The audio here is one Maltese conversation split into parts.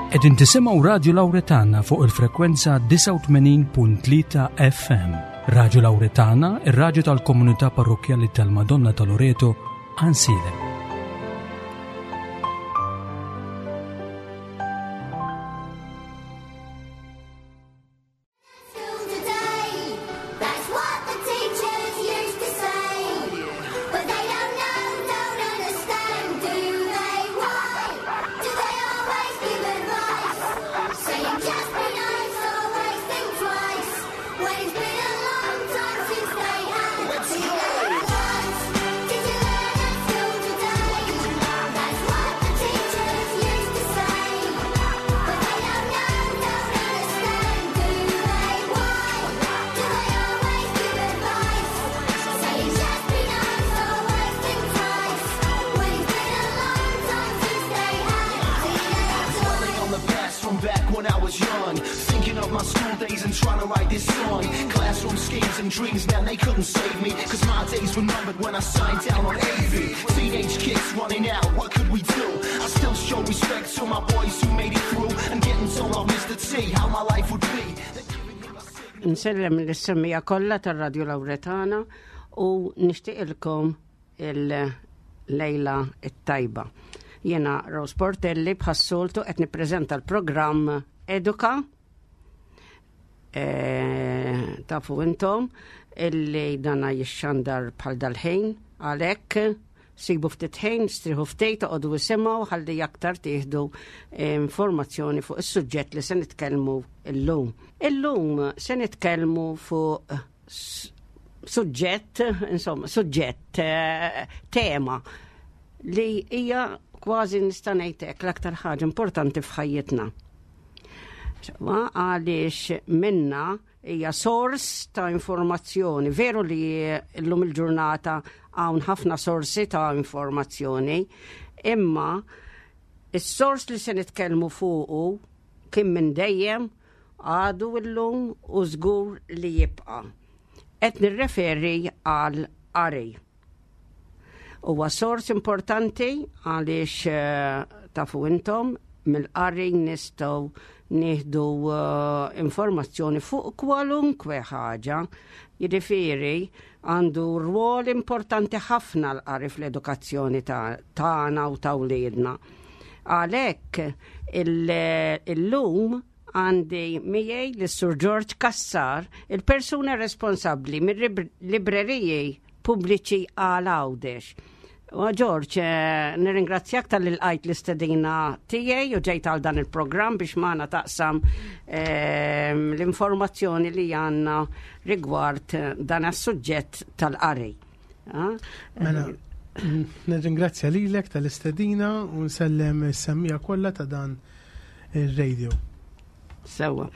Qegħdin tisimgħu Radju Lawretana fuq il-frekwenza 89.3 FM. Radju Lawretana, ir-radju tal-komunità parrokkjali tal-Madonna ta' Loreto, Ansilem. Nsellem l-semmija kollha tar-Radju Lawretana u nixtieqilkom il-lejla it-tajba. Jena Rose Portelli bħas-soltu qed nippreżenta l-programm Eduka eh, tafu intom illi dana jixxandar bħal dal-ħin għalhekk sibu ftit ħin, striħu ftit, toqgħodu isimgħu ħalli aktar tieħdu eh, informazzjoni fuq is-suġġett li se nitkellmu illum. Illum se nitkellmu fuq suġġett, insomma, suġġett, eh, tema li hija kważi nista' ngħid hekk l-aktar ħaġa importanti f'ħajjitna. Għaliex minna hija sors ta' informazzjoni. Veru li llum il-ġurnata hawn ħafna sorsi ta' informazzjoni, imma is-sors li se nitkellmu fuqu kien minn dejjem għadu llum u żgur li jibqa'. Qed nirreferi għal qari. Huwa sors importanti għaliex eh, tafu intom mill-qari nistgħu nieħdu eh, informazzjoni fuq kwalunkwe ħaġa. Jiġifieri għandu rwol importanti ħafna l-qari fl-edukazzjoni tagħna u ta' wliedna. Għalhekk illum għandi miegħi lis-Sur George Cassar, il-persuna responsabbli mill-libreriji pubbliċi għal Għawdex. U George, eh, nirringrazzjak tal-li lqajt l-istedina tiegħi u ġejt għal dan il-programm biex magħna taqsam ehm, l-informazzjoni li għandna rigward eh, dan is-suġġett tal-qari. Ah, mela, nirringrazzja lilek tal-istedina u nsellem is-semmija kollha ta' dan ir-radio. Sewa.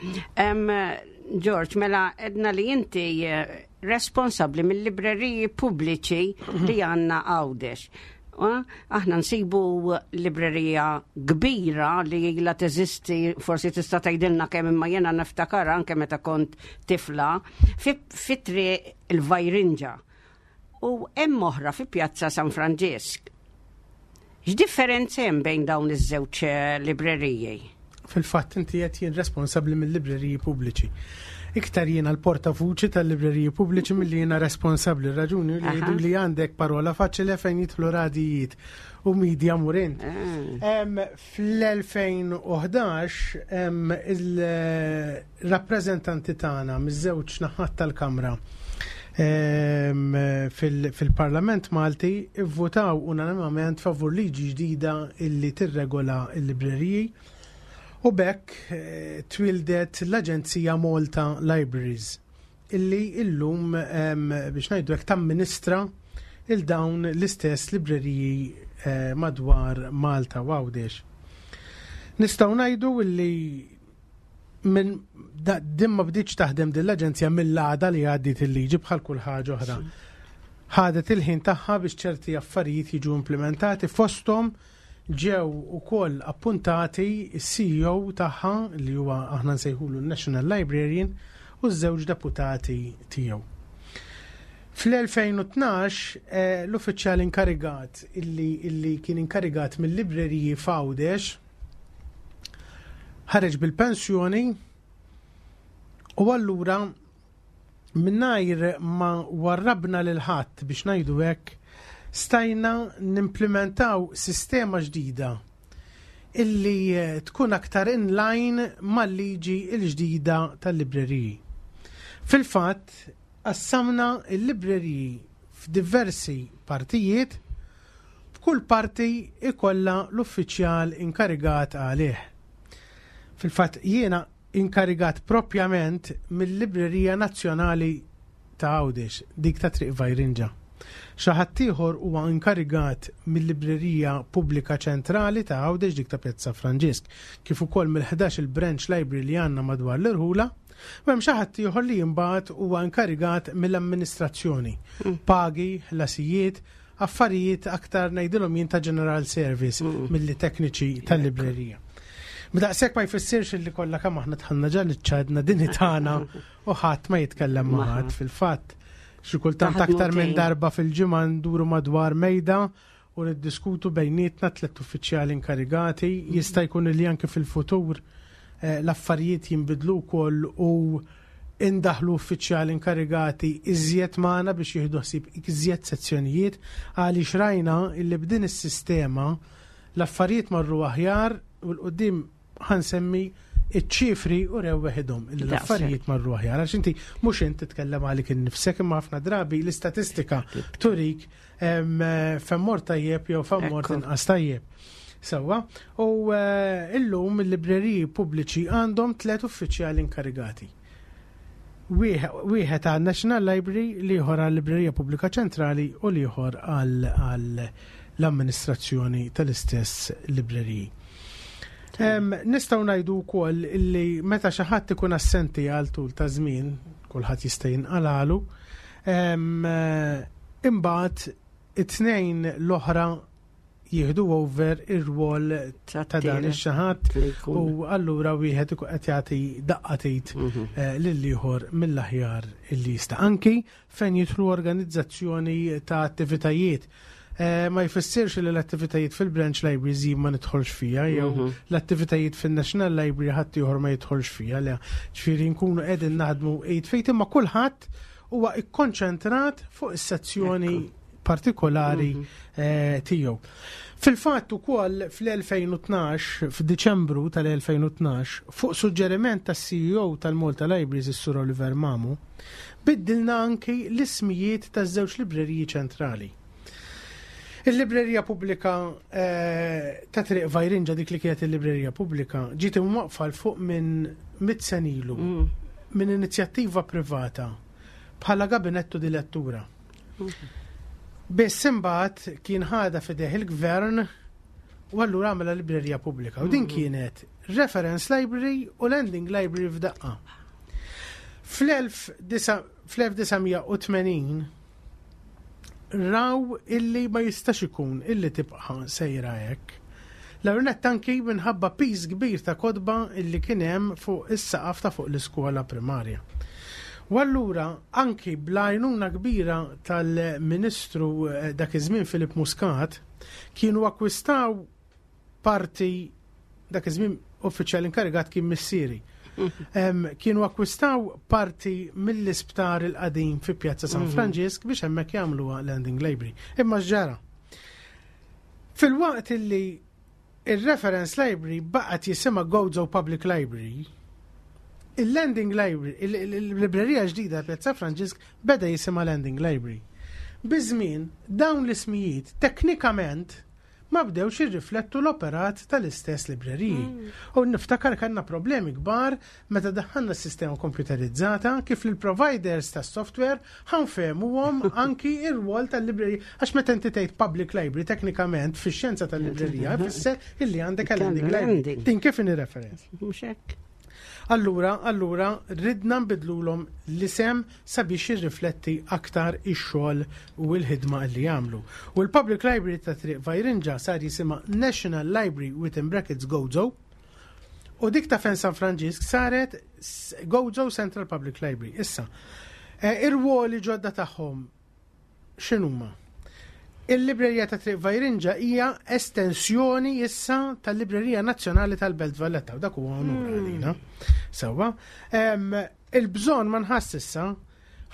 George, mela edna li inti eh, responsabbli mill-libreriji pubbliċi li għandna Għawdex. Aħna nsibu librerija kbira li ilha teżisti, forsi tista' tgħidilna kemm imma jiena niftakar anke meta kont tifla, fi triq il-Vajrinġa. U hemm oħra fi Pjazza San Franġisk. X'differenza hemm bejn dawn iż-żewġ eh, libreriji? Fil-fatt inti qed jien responsabbli mill-libreriji pubbliċi. Iktar jiena l-portavuċi tal-libreriji pubbliċi milli jiena responsabbli. Raġuni li jgħidu li għandek parola faċile fejn jidħlu radijiet u media murint. Ah. Fl-2011 il-rappreżentanti tagħna miż-żewġ naħat tal-Kamra fil-Parlament Malti vvotaw unanimament favur liġi ġdida illi tirregola l-libreriji u b'hekk eh, twildet l-Aġenzija Malta Libraries illi illum biex ngħidu hekk tamministra il dawn l-istess libreriji eh, madwar Malta u Għawdex. Nistgħu ngħidu illi minn din ma bdietx taħdem din l-aġenzija mill-għada li għaddiet il-liġi bħal kull ħaġa oħra. Ħadet il-ħin tagħha biex ċerti affarijiet jiġu implementati fosthom ġew ukoll appuntati s-CEO tagħha li huwa aħna nsejħulu National Librarian u ż-żewġ deputati tiegħu. Fl-2012 eh, l-uffiċjal inkarigat illi, illi kien inkarigat mill-libreriji f'Għawdex. Ħareġ bil-pensjoni u allura mingħajr ma warrabna lil ħadd biex ngħidu hekk, stajna nimplementaw sistema ġdida illi eh, tkun aktar in line mal-liġi l-ġdida tal-libreriji. Fil-fatt, qassamna l-libreriji f'diversi partijiet, b'kull parti ikollha l-uffiċjal inkarigat għalih. Fil-fatt jiena inkarigat propjament mil-Librerija Nazzjonali ta' Għawdex, dik ta' Triq Vajrinġa. Xi ħadd ieħor huwa inkarigat mil-Librerija Pubblika Ċentrali ta' Għawdex, dik ta' Pjazza Franġisk, kif ukoll mill-11 il-branch library li għandna madwar l-irħula. U hemm xi ħadd ieħor li imbagħad huwa inkarigat mill-amministrazzjoni, pagi, ħlasijiet, affarijiet aktar ngħidilhom jien ta' general service mm. milli tekniċi tal-librerija. B'daqshekk ma jfissirx li kollha kemm aħna tħanna ġa ċadna din tagħna u ħadd ma jitkellem ma' ħadd fil-fatt. Xi kultant aktar minn darba fil-ġimgħa nduru madwar mejda u niddiskutu bejnietna tliet uffiċjali inkarigati, jista' jkun li anke fil-futur eh, l-affarijiet jinbidlu wkoll u indaħlu uffiċjali inkarigati iżjed magħna biex jieħdu ħsieb iżjed sezzjonijiet għaliex rajna illi b'din is-sistema l-affarijiet marru aħjar u l-qudiem ħa nsemmi iċ-ċifri u rew weħidhom illi l-affarijiet marru aħjar. Għax inti mhux int titkellem għalik innifsek imma ħafna drabi l-istatistika turik femmor tajjeb jew femmor inqas tajjeb. Sewwa, u eh, illum il-libreriji pubbliċi għandhom tliet uffiċjali inkarigati. Wieħed għal National Library, l-ieħor għal Librerija Pubblika Ċentrali u l-ieħor għal l-amministrazzjoni tal-istess libreriji. Nistgħu ngħidu wkoll li meta xi ħadd ikun assenti għal tul ta' żmien, kulħadd jista' jinqalalu, imbagħad it-tnejn l-oħra jieħdu over ir-rwol ta' dan ix-xi ħadd u allura wieħed ikun qed jagħti daqqa tgħid mhm. eh, lil ieħor mill-aħjar illi jista' anki fejn jidħlu organizzazzjoni ta' attivitajiet. Eh, ma jfissirx li l-attivitajiet fil-branch libraries jien ma nidħolx fija, jew mhm. l-attivitajiet fil-National Library ħadd ieħor ma jidħolx fija, le ġifieri nkunu qegħdin naħdmu id fejt imma kulħadd huwa ikkonċentrat fuq is-sezzjoni partikolari mhm. eh, tiegħu. Fil-fatt ukoll fl-2012, f'Diċembru tal-2012, fuq suġġeriment tas-CEO tal-Malta Libraries is-Sur Oliver Mamu, biddilna anki l-ismijiet taż-żewġ libreriji ċentrali. Il-librerija pubblika eh, ta' Triq Vajrinġa dik li kienet il-librerija pubblika ġiet imwaqfa l fuq minn mit senilu mm. minn inizjattiva privata bħala gabinettu di lettura. Biss imbagħad kien ħadha f'idejh il-gvern u allura għamela librerija pubblika. U din mm. kienet reference library u lending library f'daqqa. Fl-1980 raw illi ma jistax ikun illi tibqa' sejra hekk. L-ewwel anki minħabba piż kbir ta' kotba illi kien hemm fuq is-saqaf ta' fuq l-iskola primarja. U allura anki bl-għajnuna kbira tal-Ministru eh, dak iż-żmien Filip Muscat kienu akkwistaw parti dak iż-żmien uffiċjal inkarigat kien missieri. Kienu akkwistaw parti mill-isptar il-qadim fi Pjazza San mhm. Franġisk biex hemmhekk jagħmluha Landing Library. Imma x'ġara? Filwaqt illi il-reference library baqgħet jisimha Gozo Public Library, il-Landing Library, il-librerija ġdida Pjazza Franġisk beda jisimha Landing Library. Biż-żmien, dawn l-ismijiet teknikament ma bdewx jirriflettu l-operat tal-istess libreriji. Mm. U niftakar kellna problemi kbar meta daħħalna s-sistema komputerizzata kif l-providers tas software ħanfehmuhom anki ir-rwol tal-librerija. Għax meta inti tgħid public library teknikament fix-xjenza tal-librerija jfisser illi għandek lending library. Din kif inhi reference? Mhux hekk. Allura, allura ridna nbidlulhom l-isem sabiex jirrifletti aktar ix-xogħol u l-ħidma li jagħmlu. U l-Public Library ta' Triq Vajrinġa sar jisimha National Library within brackets Gozo. U dik ta' Fen San Franġisk saret Gozo Central Public Library. Issa, eh, ir-ruoli ġodda tagħhom x'inhuma? Il-Librerija ta' Triq Vajrinġa hija estensjoni issa tal-Librerija Nazzjonali tal-Belt Valletta u dak huwa onur għalina. Sewwa. Il-bżonn ma nħass issa,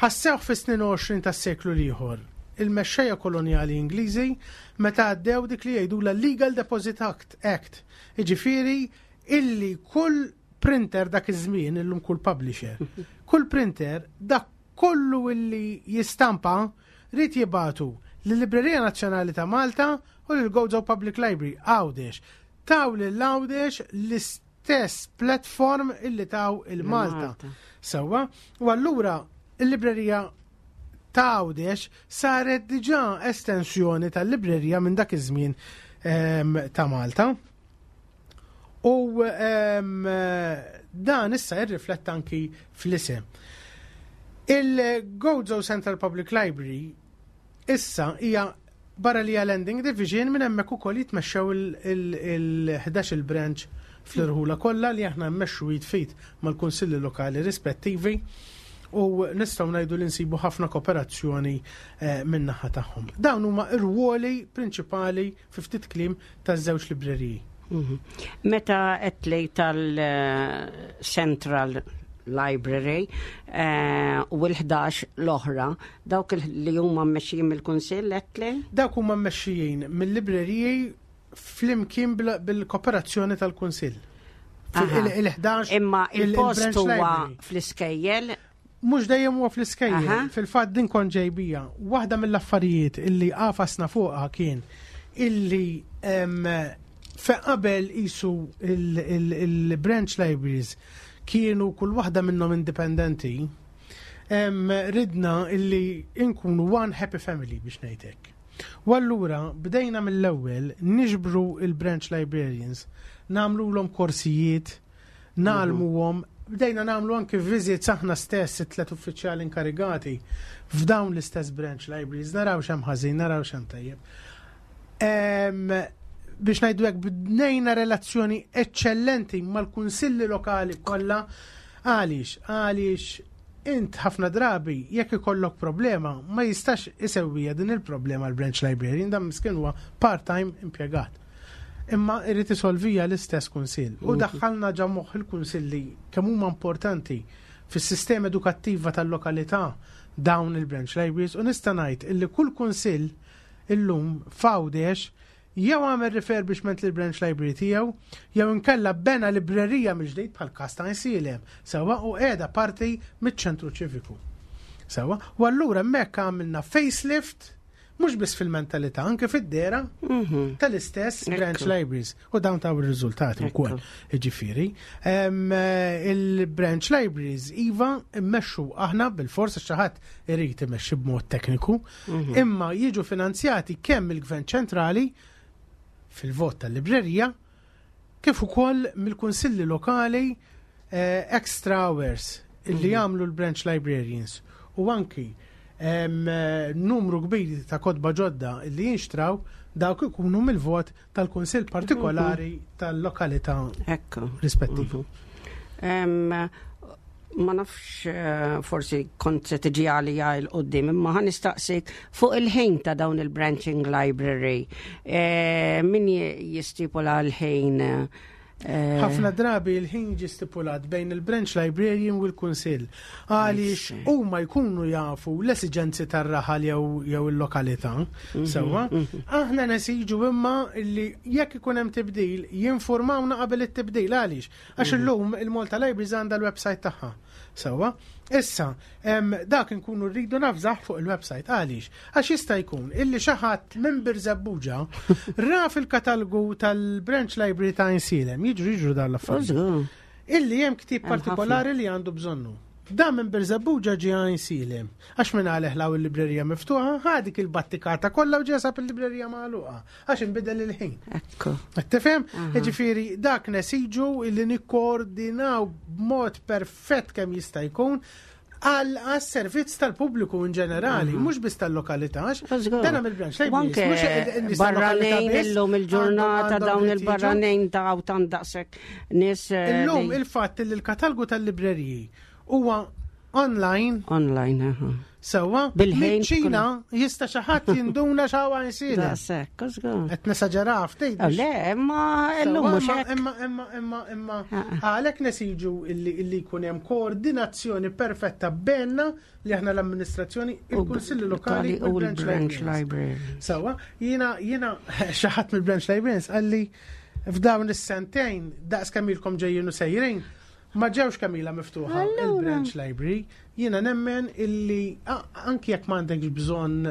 ħassewh fis-snin 20 tas-seklu l-ieħor il-mexxejja kolonjali Ingliżi meta għaddew dik li jgħidulha Legal Deposit Act, Act. Jiġifieri illi kull printer dak iż-żmien, illum kull publisher, kull printer dak kollu illi jistampa ried jibagħtu lil-Librerija Nazzjonali ta' Malta u lil Gozo Public Library, Għawdex. Taw lil Għawdex l-istess platform illi taw il-Malta. Sewwa, u allura il-Librerija ta' Għawdex saret diġà estensjoni tal-librerija minn dak iż-żmien ehm, ta' Malta. U ehm, dan issa jirrifletta anki fl-isem. Il-Gozo Central Public Library issa hija barra li hija Landing Division minn hemmhekk ukoll jitmexxew il-11 il-branch fl-irħula kollha li aħna mmexxu jitfit mal-kunsilli lokali rispettivi u nistgħu ngħidu li nsibu ħafna kooperazzjoni eh, min-naħa tagħhom. Dawn huma r-ruoli prinċipali fi ftit kliem taż-żewġ libreriji. Mhm. Meta qed li tal-Central Library eh, u l-11 l-oħra, dawk li huma mmexxijin mill-Kunsill qed li? Dawk huma mmexxijin mill-libreriji flimkien bil-kooperazzjoni tal-Kunsill. Il-11 Imma il-post huwa fl-iskejjel Mhux dejjem huwa fl-iskejjel, fil-fatt din kont ġejbija. Waħda mill-affarijiet illi għafasna fuqha kien illi fe qabel isu il-branch libraries kienu kull waħda minnhom indipendenti, ridna illi inkunu one happy family biex ngħidlek. U allura bdejna mill-ewwel niġbru il-branch librarians, nagħmlulhom korsijiet, ngħallmuhom, bdejna nagħmlu anki visits aħna stess it-tlet uffiċjali inkarigati f'dawn l-istess branch libraries, naraw x'hemm ħażin, naraw x'hemm tajjeb. Biex ngħidu hekk bdejna relazzjoni eċċellenti mal-kunsilli lokali kollha għaliex għaliex int ħafna drabi jekk ikollok problema ma jistax isewwija din il-problema l-branch librarian dan miskin huwa part-time impjegat. Imma irrid isolvija l-istess kunsill. U mhm. daħħalna ġa moħħ il-kunsilli kemm huma importanti fis-sistema edukattiva tal-lokalità dawn il-branch libraries u nista' ngħid illi kull kunsill illum f'Għawdex jew għamel refurbishment lil branch library tiegħu, jew inkella bena librerija mill-ġdid bħal każ ta' Għajnsielem, sewwa u qiegħda parti miċ-ċentru ċiviku. Sewwa, u allura hemmhekk għamilna facelift mhux biss fil-mentalità, anke fid-dera mhm. tal-istess branch libraries u dawn taw ir-riżultati wkoll. Ġifieri, eh, il-branch libraries iva mmexxu aħna bil-forsa xi ħadd irid imexxi b'mod tekniku, mhm. imma jiġu finanzjati kemm il-Gvern ċentrali fil-vot tal-librerija kif ukoll mill-kunsilli lokali eh, extra hours illi mhm. jagħmlu l-branch librarians u anki eh, numru kbir ta' kotba ġodda illi jinxtraw dawk ikunu mill-vot tal-kunsill partikolari mhm. tal-lokalità rispettiva. Mhm. Ma nafx eh, forsi kont se tiġi għalija il qoddim imma ħan nistaqsik fuq il-ħin ta' dawn il-branching library. Eh, min jistipula l-ħin? Eh, Ħafna drabi l-ħin ġi stipulat bejn il-branch librarian u l-kunsill. Għaliex huma jkunu jafu l-esiġenzi tar-raħal jew il-lokalità. Mhm, Sewwa, mhm. aħna nesiġu imma li jekk ikun hemm tibdil jinformawna qabel it-tibdil għaliex Għax mhm. illum il-Malta Libraries għandha l-website tagħha. Sewwa, issa dak inkunu rridu nafżaħ fuq il-website għaliex għax jista' jkun illi xi ħadd minn Birżebbuġa ra fil-katalgu tal-Branch Library ta' Insilem, jiġru jiġru dan l-affarijiet. Illi hemm ktieb partikolari li għandu bżonnu. Dan minn Birżebbuġa ġie Għajnsielem. Għax minn għalih law il-librerija miftuħa, ħa dik il-battikata kollha u ġie sab il-librerija magħluqa. Għax inbidel il-ħin. Ekku. Qed tifhem? Jiġifieri dak nesiġu li nikkoordinaw b'mod perfett kemm jista' jkun għal servizz tal-pubbliku in ġenerali, mhux biss tal-lokalità, għax dan mill-branch libraries. Barranin illum il-ġurnata dawn il-barranin ta' tan daqshekk nies. Eh, illum il-fatt li l-katalgu tal-libreriji huwa online. Online, aha. Sewwa, Bil-ħin Ċina jista' xi ħadd jinduna x'hawn Għajnsielem. Daqshekk, żgur. Qed nesaġera ftit. Oh, Le, imma illum mhux hekk. Imma imma imma imma għalhekk nesiġu illi illi jkun hemm koordinazzjoni perfetta bejna li aħna l-amministrazzjoni, il-Kunsilli Lokali u l-Branch Library. Sewwa, jiena jiena xi ħadd mill-Branch Librarians qalli f'dawn is-sentejn daqs kemm ilkom ġejjin u sejrin ma ġewx kemm ilha miftuħa il-Branch Library. Jiena nemmen illi anki jekk m'għandekx bżonn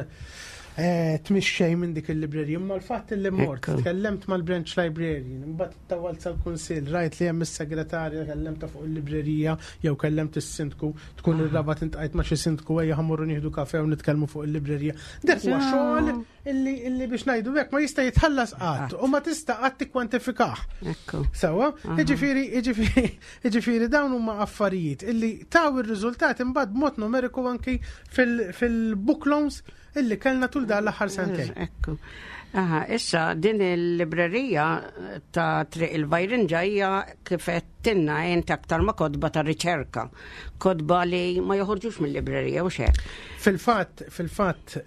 eh, tmixxej minn dik il-librerija, imma l-fatt illi mort, tkellemt mal-branch librarian, imbagħad tawalt sal-kunsill, rajt li hemm is-segretarja kellemta fuq il-librerija jew kellemt is-sindku, tkun ir-rabat intqajt ma' xi sindku ejja ħammorru nieħdu kafe u nitkellmu fuq il-librerija. Dak huwa xogħol illi illi biex ngħidu hekk ma jista' jitħallas qatt u ma tista' qatt tikkwantifikah. Sewwa, jiġifieri jiġifieri jiġifieri dawn huma affarijiet illi taw ir-riżultat imbagħad b'mod numeriku anki fil-book loans illi kellna tul dan l-aħħar sentejn. Ekku. Aha, issa din il-librerija ta' Triq il-Vajrinġa hija kif qed tinna int aktar ma kotba ta' riċerka, kotba li ma joħorġux mill-librerija u xek. Fil-fatt, fil-fatt,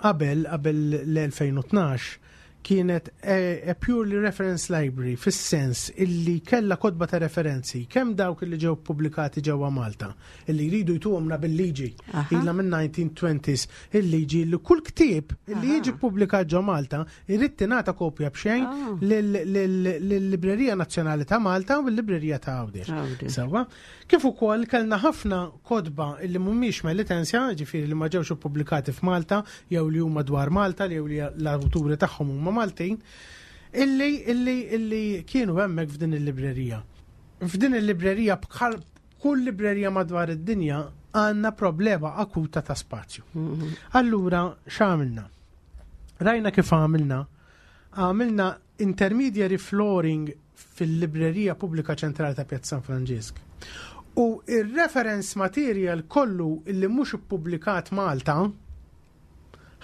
qabel qabel l-2012 kienet a, a purely reference library fis-sens illi kella kotba ta' referenzi kemm dawk illi ġew pubblikati ġewwa Malta illi jridu jtuhomna bil-liġi ilha minn 1920s il-liġi li kull ktieb illi jiġi ppubblikat ġo Malta Irrid tingħata kopja b'xejn ah. lill-Librerija Nazzjonali ta' Malta u l-Librerija ta' Għawdex. Sewwa. Kif ukoll kellna ħafna kotba li mhumiex melitensja, ġifieri li ma ġewx ippubblikati f'Malta jew li huma dwar Malta jew li l-awturi tagħhom huma Maltin, illi illi illi kienu hemmhekk f'din il-librerija. F'din il-librerija bħal kull librerija madwar id-dinja għandna problema akuta ta' spazju. Mhm. Allura x'għamilna? Rajna kif għamilna. Għamilna intermediary flooring fil-Librerija Pubblika Ċentrali ta' Pjazza San Franġisk. U ir-reference material kollu illi mhux ippubblikat Malta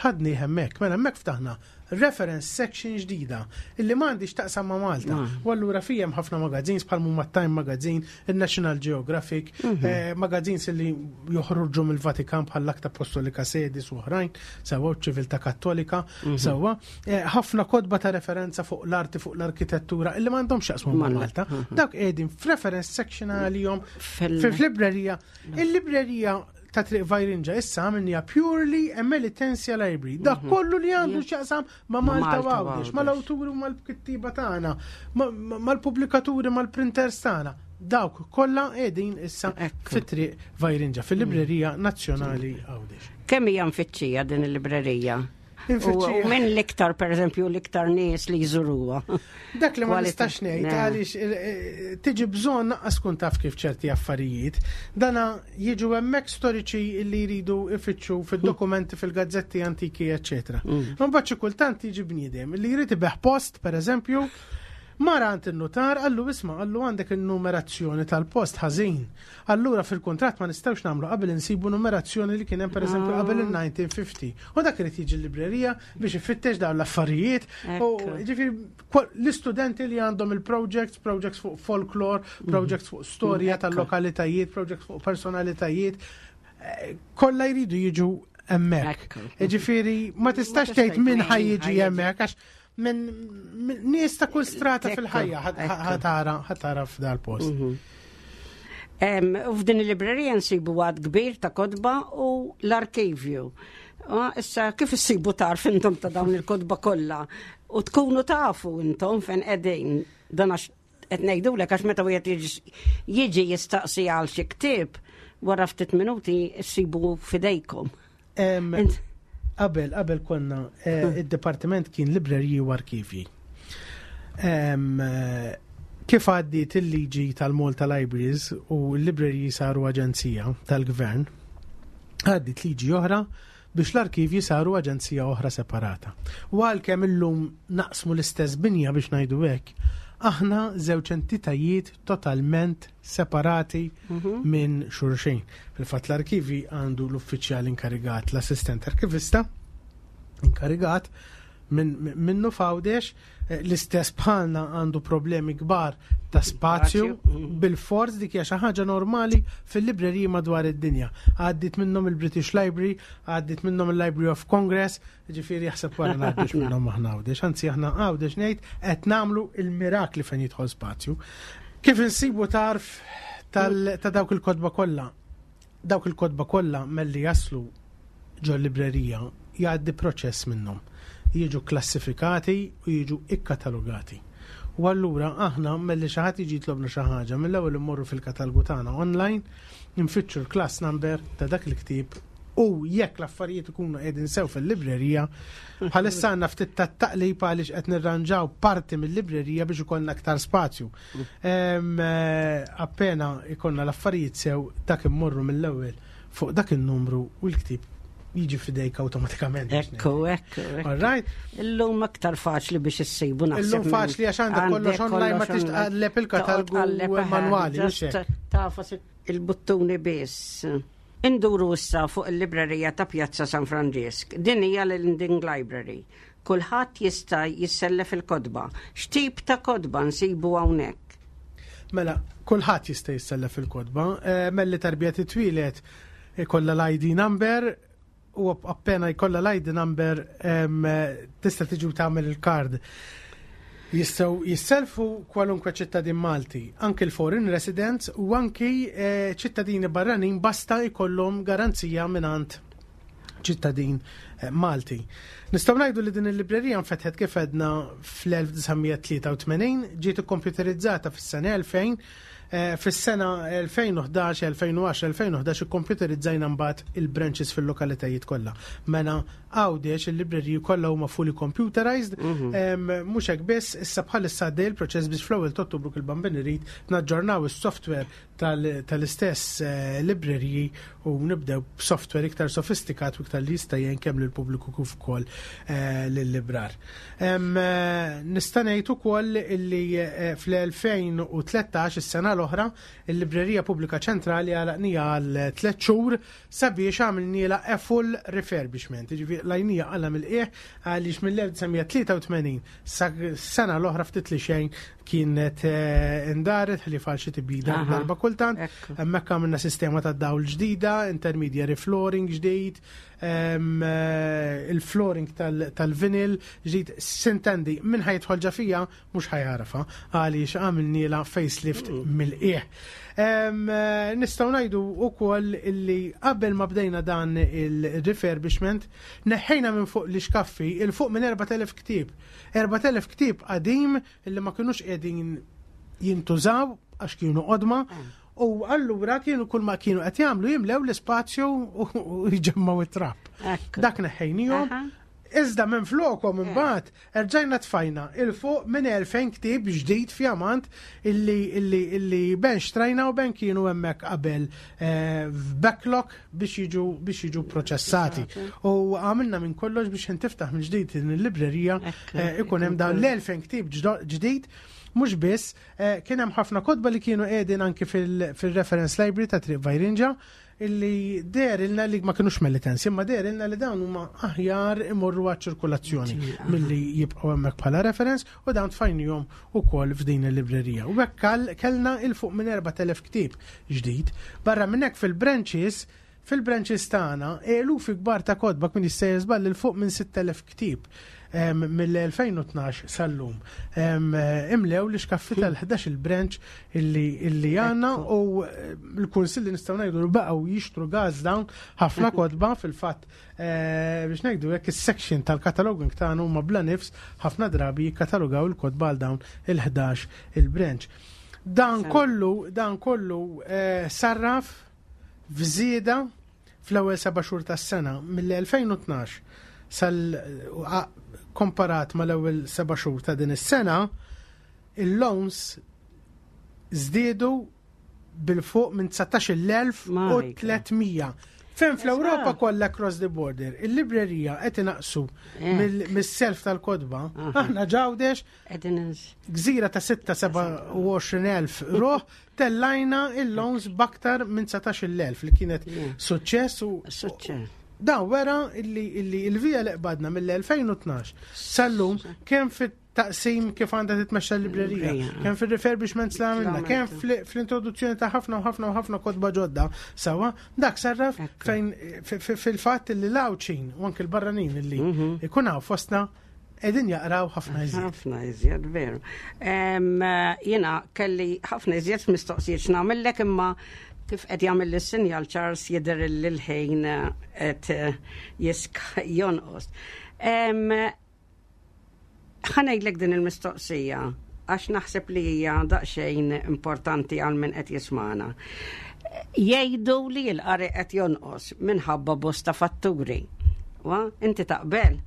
ħadni hemmhekk. Mela hemmhekk ftaħna reference section ġdida illi m'għandix taqsam ma' Malta. Mm. U allura fijem ħafna magazines bħal huma Time Magazine, il-National Geographic, mm -hmm. eh, magazines illi joħorġu mill-Vatikan bħal l-Akta Apostolika Sedis u oħrajn, sewwa ċiviltà Kattolika, mhm. sewwa, eh, ħafna kotba ta' referenza fuq l-arti, fuq l-arkitettura, illi m'għandhomx jaqsmu ma' Malta. Mhm. Dawk qegħdin f'reference section għalihom fil-librerija. Il-librerija ta' Triq Vajrinġa issa għamilniha purely a Melitensia Library. Dak mhm. kollu li għandu x'jaqsam ma' Malta u Għawdex, mal-awturi u mal-kittiba tagħna, mal-pubblikaturi, mal-printers tagħna. Dawk kollha qegħdin issa fit-Triq Vajrinġa, fil-Librerija Nazzjonali Għawdex. Kemm hija mfittxija din il-librerija? U minn l-iktar, per eżempju, l-iktar nies li jżuruha. Dak li ma nistax ngħid għaliex eh, eh, tiġi bżonn naqqas kun taf kif ċerti affarijiet. Dana jiġu hemmhekk storiċi li jridu ifittxu fid-dokumenti fil-gazzetti antiki, eċċetera. Mm. Mbagħad xi kultant jiġi bniedem li jrid ibeħ post, per eżempju, Mara għand in-nutar, qallu isma', qallu għandek in-numerazzjoni tal-post ħażin. Allura fil-kuntratt ma nistgħux nagħmlu qabel insibu numerazzjoni li kien hemm pereżempju qabel il-1950. U dak irid jiġi l-librerija biex ifittex dawn l-affarijiet. U ġifieri l-istudenti li għandhom il-projects, projects fuq folklore, mhm. projects fuq storja tal-lokalitajiet, projects fuq personalitajiet, eh, kollha jridu jiġu hemmhekk. Ġifieri ma tistax tgħid min ħajjiġi hemmhekk għax minn nies ta' kull strata fil-ħajja ħatara ħatara f'dal post. Mhm. U f'din il-librerija nsibu għad kbir ta' kotba u l-arkivju. Issa kif issibu tarf intom ta' dawn il-kotba kollha u tkunu tafu intom fejn qegħdin dan għax qed ngħidulek għax meta wieħed jiġi jistaqsi għal xi ktieb wara ftit minuti ssibu fidejkom. Qabel, qabel konna, eh, hmm. id-dipartiment kien libreriji u arkivji. Eh, kif għaddiet il-liġi tal-Malta Libraries u l-libreriji saru aġenzija tal-gvern, għaddiet liġi oħra biex l-arkivji saru aġenzija oħra separata. U għalkemm illum naqsmu l-istess binja biex ngħidu hekk, aħna żewġ entitajiet totalment separati mhm. minn xulxin. Fil-fatt l-arkivi għandu l-uffiċjal inkarigat, l-assistent arkivista inkarigat, minnu f'Għawdex, eh, l-istess bħalna għandu problemi kbar ta' spazju, bil-fors dik hija xi ħaġa normali fil-libreriji madwar id-dinja. Għaddit minnhom il-British Library, għaddit minnhom il-Library of Congress, ġifieri jaħseb wara ngħaddux minnhom aħna Għawdex, anzi aħna Għawdex ngħid qed nagħmlu il-mirakli fejn jidħol spazju. Kif insibu tarf ta' dawk il-kotba kollha? Dawk il-kotba kollha melli jaslu ġol-librerija jgħaddi proċess minnhom. Jiġu kklassifikati u jiġu ikkatalogati. U allura aħna melli xi ħadd jiġi jitlobna xi ħaġa, mill-ewwel immorru fil-katalgu tagħna online, nfittxu l-class number ta' dak il-ktieb u jekk l-affarijiet ikunu qegħdin sew fil-librerija, bħalissa għandna ftit ta' taqlib għaliex qed nirranġaw parti mill-librerija biex ikollna aktar spazju. Eh, appena ikollna l-affarijiet sew dak immorru mill-ewwel fuq dak il-numru u l-ktib jiġi fidejk awtomatikament. Ekku, ekku. All right. Illum aktar faċli biex issibu naħseb. Illum faċli għax għandek kollox online ma tix tqalleb il-katalgu manwali. Tafas il-buttuni biss. Induru issa fuq il-librerija ta' Pjazza San Franġisk. Din hija l-Lending Library. Kulħadd jista' jissellef il-kotba. X'tip ta' kotba nsibu hawnhekk? Mela, kulħadd jista' jissellef il-kotba. Eh, melli tarbija titwieled ikollha l-ID number u appena jkollha l-ID number tista' tiġi u tagħmel il-kard. Jistgħu jisselfu kwalunkwe ċittadin Malti, anki l-foreign residents u anki eh, ċittadini barranin basta jkollhom garanzija mingħand ċittadin eh, Malti. Nistgħu ngħidu li din il-librerija nfetħet kif għedna fl-1983, ġiet ikkompjuterizzata fis-sena 2000, eh, fis-sena 2011, 2010, 2011 ikkompjuterizzajna mbagħad il-branches fil-lokalitajiet kollha. Mela Għawdex il-libreriji kollha huma fully computerized, mhm. mhux hekk biss, issa bħalissa għaddej il-proċess biex fl-ewwel ta' Ottubru kil bambin irid naġġornaw is-software tal-istess eh, libreriji u nibdew b'software iktar sofistikat u iktar li jista' jgħin kemm lill-pubbliku kif ukoll eh, lill-librar. Eh, nista' ngħid ukoll li fl-2013 is-sena l-oħra il-Librerija Pubblika Ċentrali għalaqnija għal tliet xhur sabiex għamilnielha a full refurbishment, jiġifieri qlajnija qala mill-qiegħ għaliex mill-1983 sa sena l-oħra ftit li xejn kienet eh, indaret ħlief għal xi tibdila darba kultant. Hemmhekk għamilna sistema ta' dawl ġdida, intermediary flooring ġdid, eh, il-flooring tal-vinyl ġdid. Sintendi, minn ħajidħol ġa fija mhux ħajarfa għaliex għamilniela facelift mm. mill-qiegħ. Eh, nistgħu ngħidu wkoll illi qabel ma bdejna dan il-refurbishment neħħejna minn fuq l-ixkaffi il fuq minn 4000 ktieb. 4000 ktieb qadim illi ma kinux qegħdin jintużaw għax kienu qodma. Mm. U allura kienu kull ma kienu qed jagħmlu jimlew l-ispazju u jġemmgħu it-trap. Dak neħħejnihom. Iżda minn flokom imbagħad erġajna tfajna il fuq minn 2000 ktieb ġdid fjamant illi illi illi ben xtrajna u ben kienu hemmhekk qabel eh, f'backlog biex jiġu biex jiġu proċessati. U għamilna minn kollox biex intiftaħ minn ġdid din il-librerija eh, ikun hemm dawn l-2000 ktieb ġdid Mhux biss, eh, kien hemm ħafna kotba li kienu qegħdin anki fil-reference library ta' Triq Vajrinġa illi derilna li ma kinux melitensi, imma derilna li dawn huma aħjar imorru għaċ-ċirkulazzjoni milli jibqgħu hemmhekk bħala reference u dawn tfajnihom ukoll f'din il-librerija. U hekk kellna il fuq minn 4000 ktieb ġdid. Barra minn hekk fil-branches fil-branches tagħna eluf kbar ta' kotba kien jista' jiżball il fuq minn 6000 ktieb mill-2012 sal-lum. Imlew li xkaffi tal-11 il-branch illi għanna u eh, l-kunsill li nistgħu ngħidu li baqgħu jixtru gas dawn ħafna kotba fil-fatt eh, biex ngħidu jekk is-section tal-cataloging tagħna huma bla nifs ħafna drabi jikkatalogaw il-kotba għal dawn il-11 il-branch. Dan kollu, dan kollu eh, sarraf f'żieda fl-ewwel seba' xhur tas-sena mill-2012 sal komparat mal-ewwel seba' xhur ta' din is-sena, il-loans żdiedu bil-fuq minn 19,300. Fejn fl-Ewropa kollha across the border, il-librerija qed inaqsu mis-self tal-kotba, aħna ġawdex Gżira ta' 26,000 ruħ tellajna il-loans baktar minn 19,000 li kienet suċċess u Dan wera illi illi il-vija li qbadna mill-2012 sal-lum kemm fit-taqsim kif għandha titmexxa l-librerija, kemm fil-refurbishments li għamilna, kemm fl-introduzzjoni ta' ħafna u ħafna u ħafna kotba ġodda, sawa, dak sarraf fejn fil-fatt li l-Għawdxin u anke l-barranin illi mhm. ikun hawn fostna qegħdin jaqraw ħafna iżjed. Ħafna iżjed, veru. Jiena kelli ħafna iżjed mistoqsijiet x'nagħmellek imma kif qed jagħmel is-sinjal Charles jidher l-ħin qed jiska jonqos. Ħa ngħidlek din il-mistoqsija għax naħseb li hija daqsxejn importanti għal min qed jismana. Jgħidu li l-qari qed jonqos minħabba bosta fatturi. Wa, inti taqbel?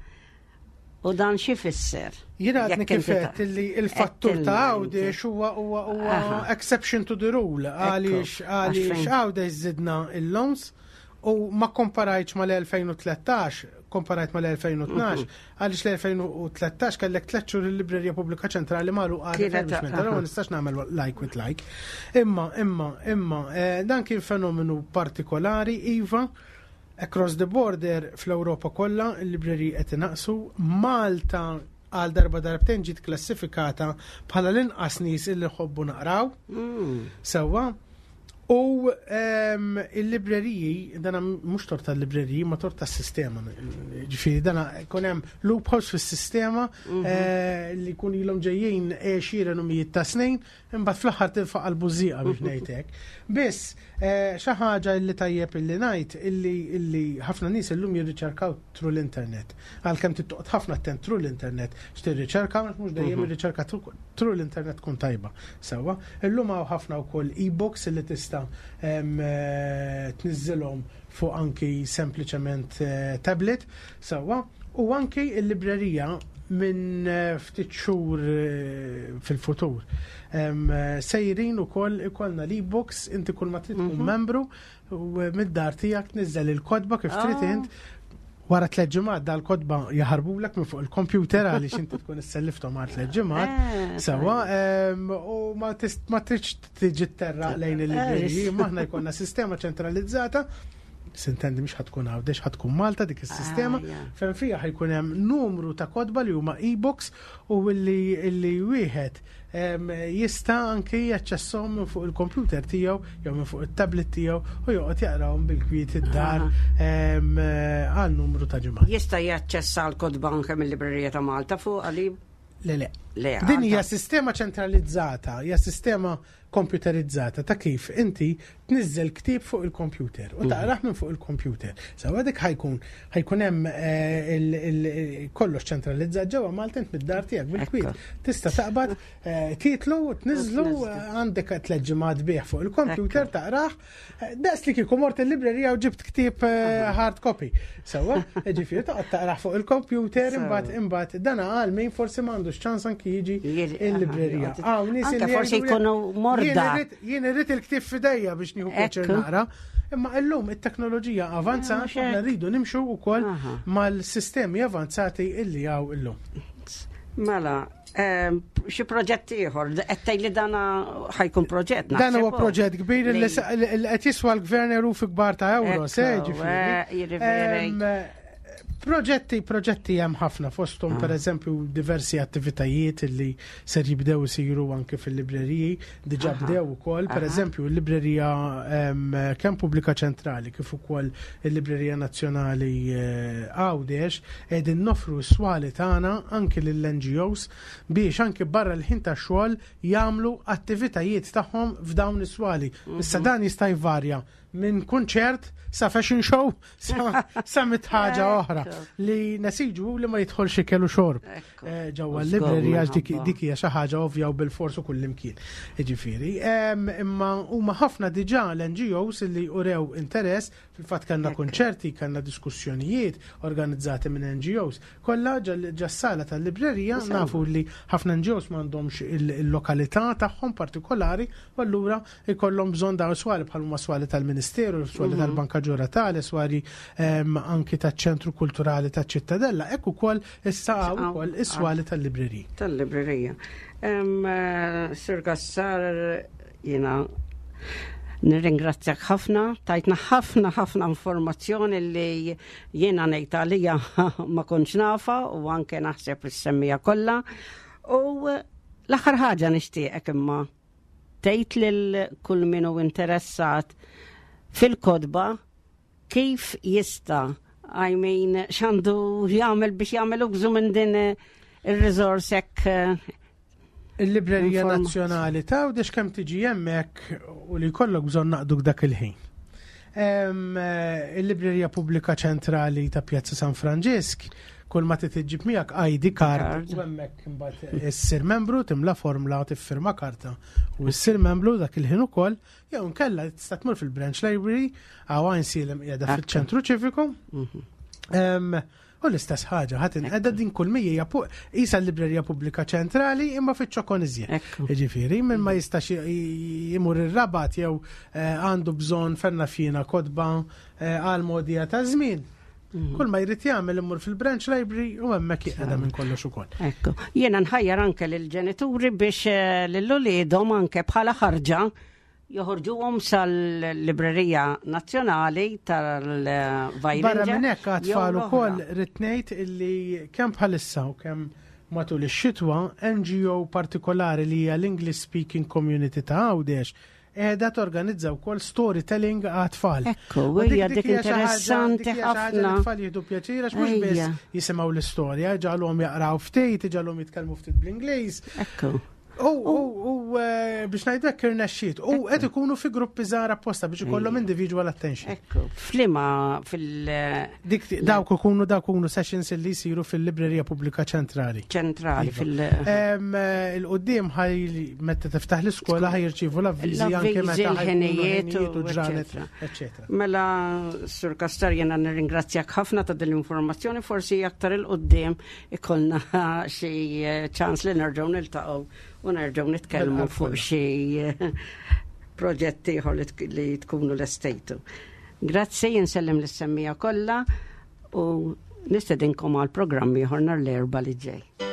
U dan xi fisser? Jiena għadni kif għedt li il-fattur ta' Għawdex huwa huwa huwa exception to the rule għaliex għaliex Għawdex żidna il-loans u ma komparajtx mal-2013, komparajt mal-2012, għaliex l-2013 kellek tliet xhur il-Librerija Pubblika Ċentrali magħluqa refurbishment, allura ma nistax nagħmel like with like. Imma, imma, imma, eh, dan kien fenomenu partikolari, iva, across the border fl-Ewropa kollha il-libreriji qed inaqsu, Malta għal darba darbtejn ġiet klassifikata bħala l-inqas nies illi ħobbu naqraw. Mm. Sewwa. U ehm, il-libreriji, dana mhux tort tal-libreriji, ma tort tas-sistema. Ġifieri dana jkun hemm loopholes fis-sistema mhm. eh, li jkun ilhom ġejjin għexieren u mijiet ta' snin, imbagħad fl-aħħar tinfaq għall-bużieqa biex ngħid hekk. Biss, eh, xi ħaġa li tajjeb illi ngħid illi ħafna nies illum jirriċerkaw through l-internet. Għalkemm trid toqgħod ħafna attent through l-internet x'tirriċerka, mhux dejjem mhm. ir-riċerka through l-internet tkun tajba. Sewwa, illum hawn ħafna wkoll e-books li tista' eh, tniżżilhom fuq anki sempliċement eh, tablet, sewwa, u anki l-librerija minn eh, ftit xhur fil-futur. Sejrin ukoll ikollna l-e-books, inti kull ma trid tkun mhm. membru U mid-dar tiegħek tniżżel il-kotba kif trid ah. int. Wara tliet ġimgħat dal-kotba jaħarbulek minn fuq il-kompjuter għaliex inti tkun issellifthom għal tliet ġimgħat. Eh, Sewa, u ma tridx tiġi terra lejn il-libreriji, eh, maħna jkollna sistema ċentralizzata sintendi mhux ħatkun Għawdex ħatkun Malta dik is-sistema ah, fejn fiha ħajkun hemm numru ta' kotba li huma e-books u li wieħed jista' anki jaċċesshom minn fuq il-kompjuter tiegħu jew minn fuq it-tablet tiegħu u joqgħod jaqrahom bil-kwiet id-dar għal numru ta' ġimgħat. Jista' jaċċessa l-kotba anke mill-Librerija ta' Malta fuq għali? Le, le. Le, Din hija sistema ċentralizzata, hija sistema komputerizzata ta' kif inti tniżżel ktieb fuq il-kompjuter u mhm. taqrah minn fuq il-kompjuter. Sewa dik ħajkun ħajkun hemm eh, kollox ċentralizzat ġewwa Malta int mid-dar tiegħek bil-kwiet. Tista' taqbad eh, titlu, tniżlu għandek tliet ġimgħat bih fuq il-kompjuter taqrah. Eh, daqs li kieku mort il-librerija u ġibt ktieb hard copy. Sewa, ġifieri toqgħod taqrah fuq il-kompjuter imbagħad imbagħad dana għal min forsi m'għandux ċans anki jiġi il-librerija. Hawn nies forsi jkunu morda. Jien irrid il-ktieb f'idejja biex nieħu pjaċir naqra. Imma illum it-teknoloġija avanzat, eh, aħna rridu nimxu wkoll mal-sistemi avanzati illi hawn illum. Mela, ehm, xi proġett ieħor, qed tgħid li dana ħajkun proġett. Dan huwa proġett kbir li qed jiswa l-gvern erufi kbar ta' euro, se ġifieri. Eh, ehm, Proġetti, proġetti hemm ħafna fosthom ah. pereżempju diversi attivitajiet li ser jibdew isiru anke fil-libreriji, diġà bdew ukoll, pereżempju l-librerija kemm Pubblika Ċentrali kif ukoll il-Librerija Nazzjonali eh, Għawdex qegħdin nofru s-swali tagħna anke lill-NGOs biex anke barra l-ħin tax-xogħol jagħmlu attivitajiet tagħhom f'dawn is-swali. Issa mhm. dan jista' jvarja minn kunċert sa fashion show sa mit ħaġa oħra li nesiġu li ma jidħolx ikel u xorb eh, ġewwa l-librerija għax dik hija xi ħaġa ovvja u bil-fors u kullimkien. Jiġifieri, imma huma ħafna diġà l-NGOs li urew interess, fil-fatt kellna kunċerti, kellna diskussjonijiet organizzati minn NGOs. Kollha ġas-sala tal-librerija nafu li ħafna NGOs m'għandhomx il-lokalità tagħhom partikolari u allura ikollhom bżonn dawn swali bħal huma swali tal-Ministeru, swali mhm. tal-Banka Ġuratale, swali ehm, anki taċ-Ċentru Kulturali taċ-Ċittadella, hekk ukoll issa hawn ukoll is-swali tal-librerija. Tal-librerija. Ehm, eh, Sir Gassar jiena Nirringrazzjak ħafna, tajtna ħafna ħafna informazzjoni li jiena ngħid għalija ma kontx nafa u anke naħseb is-semmija kollha. U l-aħħar ħaġa nixtieqek imma tgħid lil kull min hu interessat fil-kotba kif jista' I mean, x'għandu jagħmel biex jagħmel użu minn din ir-resource hekk Il-Librerija Nazzjonali ta' Għawdex kemm tiġi hemmhekk u li jkollok bżonn naqduk dak il-ħin. Il-Librerija Pubblika Ċentrali ta' Pjazza San Franġisk, kull ma trid iġġib miegħek ID card u hemmhekk imbagħad issir membru, timla formla, tiffirma karta u issir membru dak il-ħin ukoll, jew inkella tista' tmur fil-Branch Library għaw Għajnsielem qiegħda fil-ċentru ċiviku. U l-istess ħaġa, ħadd inqeda din kull mija hija qisha l-Librerija Pubblika Ċentrali imma fiċ-ċokon iżjed. Jiġifieri, min ma jistax imur ir-Rabat jew eh, għandu bżonn fenna fjina kotba eh, għal modija ta' żmien. Mm. Kull ma jrid jagħmel imur fil-branch library u hemmhekk jiqeda minn kollox ukoll. Ekku. Jiena nħajjar anke lill-ġenituri biex eh, lil uliedhom anke bħala ħarġa joħorġuhom sal-Librerija Nazzjonali tal-Vajrinġa. Barra minn hekk għat-tfal ukoll rrid ngħid illi kemm bħalissa u kemm matul ix-xitwa NGO partikolari li hija l-English Speaking Community ta' Għawdex qiegħda torganizza wkoll storytelling għat-tfal. Ekku, hija dik interessanti ħafna. Tfal jieħdu pjaċir għax mhux biss jisimgħu l-istorja, ġalhom jaqraw ftit, ġalhom jitkellmu ftit bl-Ingliż. Ekku. U eh, biex ngħidlek irnexxiet. U qed ikunu fi gruppi żgħar apposta biex ikollhom individual attention. Ekku, flima fil- Dik dawk ikunu dawk ikunu sessions li jsiru fil-Librerija Pubblika Ċentrali. Ċentrali iva. fil- eh, Il-qudiem ħaj meta tiftaħ l-iskola ħaj jirċievu l-avviżi anke meta l-ħinijiet u ġranet, eċetera. Mela, Sur Kastar, jena nirringrazzjak ħafna ta' din l-informazzjoni, forsi aktar il-qudiem ikollna xi eh, ċans li nerġgħu niltaqgħu u nerġgħu nitkellmu fuq xi eh, proġett ieħor li tkunu lestejtu. Grazzi, insellem lis-semmija kollha u nistedinkom għal programm ieħor nhar l-erba' li ġej.